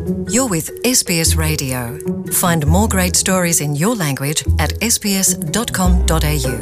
You're with SBS Radio. Find more great stories in your language at sbs.com.au.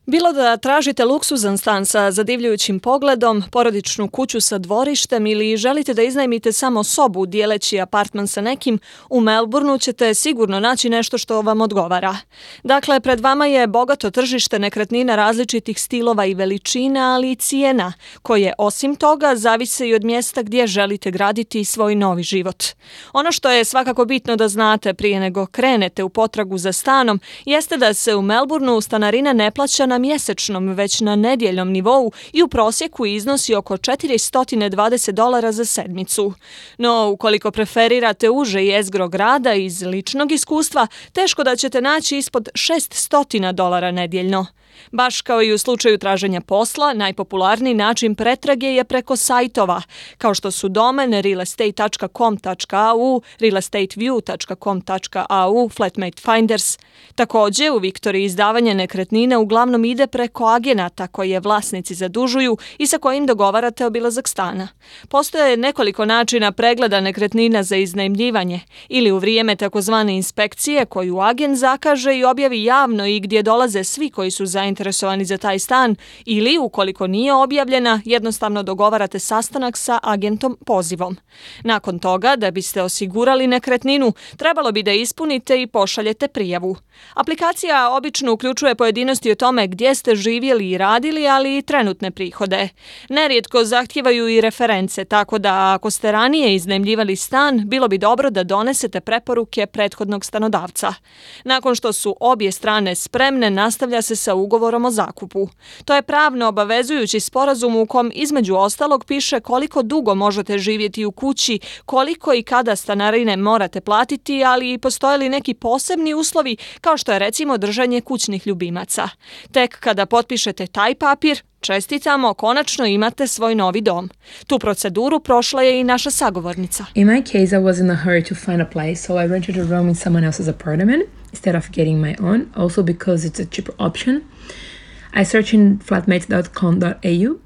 Bilo da tražite luksuzan stan sa zadivljujućim pogledom, porodičnu kuću sa dvorištem ili želite da iznajmite samo sobu dijeleći apartman sa nekim, u Melbourneu ćete sigurno naći nešto što vam odgovara. Dakle, pred vama je bogato tržište nekretnina različitih stilova i veličina, ali i cijena, koje osim toga zavise i od mjesta gdje želite graditi svoj novi život. Ono što je svakako bitno da znate prije nego krenete u potragu za stanom, jeste da se u Melbourneu stanarina ne plaća na mjesečnom, već na nedjeljnom nivou i u prosjeku iznosi oko $420 za sedmicu. No, ukoliko preferirate uže jezgro grada iz ličnog iskustva, teško da ćete naći ispod $600 nedjeljno. Baš kao i u slučaju traženja posla, najpopularniji način pretrage je preko sajtova, kao što su domen realestate.com.au, realestateview.com.au, Flatmate Finders. Također, u Viktoriji izdavanje nekretnina uglavnom ide preko agenata koje vlasnici zadužuju i sa kojim dogovarate obilazak stana. Postoje nekoliko načina pregleda nekretnina za iznajmljivanje, ili u vrijeme takozvane inspekcije koju agent zakaže i objavi javno i gdje dolaze svi koji su zainteresovani za taj stan, ili ukoliko nije objavljena, jednostavno dogovarate sastanak sa agentom pozivom. Nakon toga, da biste osigurali nekretninu, trebalo bi da ispunite i pošaljete prijavu. Aplikacija obično uključuje pojedinosti o tome gdje ste živjeli i radili, ali i trenutne prihode. Nerijetko zahtijevaju i reference, tako da ako ste ranije iznajmljivali stan, bilo bi dobro da donesete preporuke prethodnog stanodavca. Nakon što su obje strane spremne, nastavlja se sa ugovorom o zakupu. To je pravno obavezujući sporazum u kom između ostalog piše koliko dugo možete živjeti u kući, koliko i kada stanarine morate platiti, ali i postoje li neki posebni uslovi, kao što je recimo držanje kućnih ljubimaca. Tek kada potpišete taj papir, čestitamo, konačno imate svoj novi dom. Tu proceduru prošla je i naša sagovornica. In my case, I was in a hurry to find a place, so I rented a room in someone else's apartment instead of getting my own, also because it's a cheaper option. I searched in flatmates.com.au.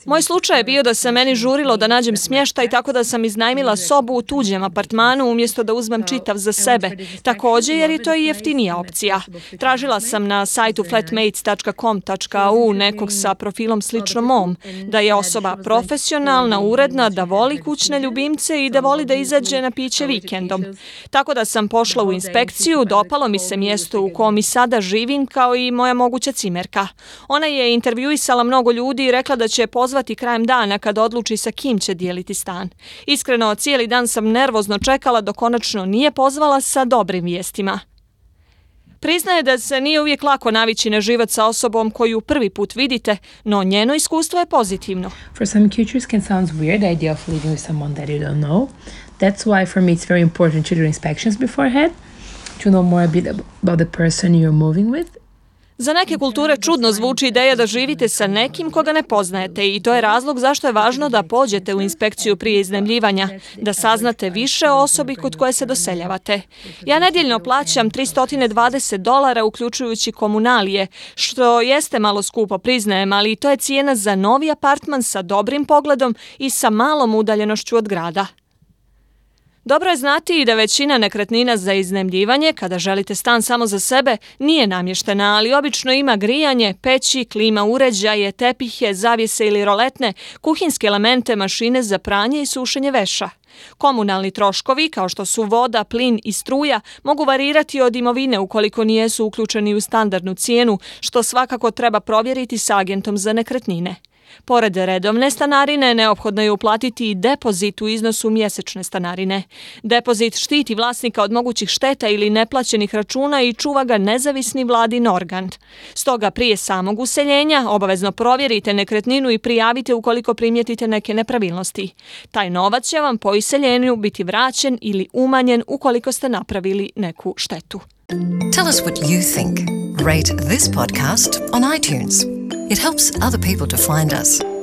Moj slučaj je bio da se meni žurilo da nađem smještaj, tako da sam iznajmila sobu u tuđem apartmanu umjesto da uzmem čitav za sebe. Također jer je to i jeftinija opcija. Tražila sam na sajtu flatmates.com.au nekog sa profilom slično mom, da je osoba profesionalna, uredna, da voli kućne ljubimce i da voli da izađe na piće vikendom. Tako da sam pošla u inspekciju, dopalo mi se mjesto u kom i sada živim kao i moja moguća cimerka. Ona je intervjuisala mnogo ljudi i rekla da će pozvati krajem dana kad odluči sa kim će dijeliti stan. Iskreno, cijeli dan sam nervozno čekala dok konačno nije pozvala sa dobrim vijestima. Priznaje da se nije uvijek lako navići na život sa osobom koju prvi put vidite, no njeno iskustvo je pozitivno. For some cultures can sound weird, the idea of living with someone that you don't know. That's why for me it's very important to do inspections beforehand, to know more a bit about the person you're moving with. Za neke kulture čudno zvuči ideja da živite sa nekim koga ne poznajete i to je razlog zašto je važno da pođete u inspekciju prije iznajmljivanja, da saznate više o osobi kod koje se doseljavate. Ja nedjeljno plaćam $320 uključujući komunalije, što jeste malo skupo, priznajem, ali to je cijena za novi apartman sa dobrim pogledom i sa malom udaljenošću od grada. Dobro je znati i da većina nekretnina za iznajmljivanje, kada želite stan samo za sebe, nije namještena, ali obično ima grijanje, peći, klima uređaje, tepihe, zavjese ili roletne, kuhinske elemente, mašine za pranje i sušenje veša. Komunalni troškovi, kao što su voda, plin i struja, mogu varirati od imovine ukoliko nijesu uključeni u standardnu cijenu, što svakako treba provjeriti s agentom za nekretnine. Pored redovne stanarine, neophodno je uplatiti i depozit u iznosu mjesečne stanarine. Depozit štiti vlasnika od mogućih šteta ili neplaćenih računa i čuva ga nezavisni vladin organ. Stoga prije samog useljenja obavezno provjerite nekretninu i prijavite ukoliko primijetite neke nepravilnosti. Taj novac će vam po iseljenju biti vraćen ili umanjen ukoliko ste napravili neku štetu. Tell us what you think. Rate this podcast on iTunes. It helps other people to find us.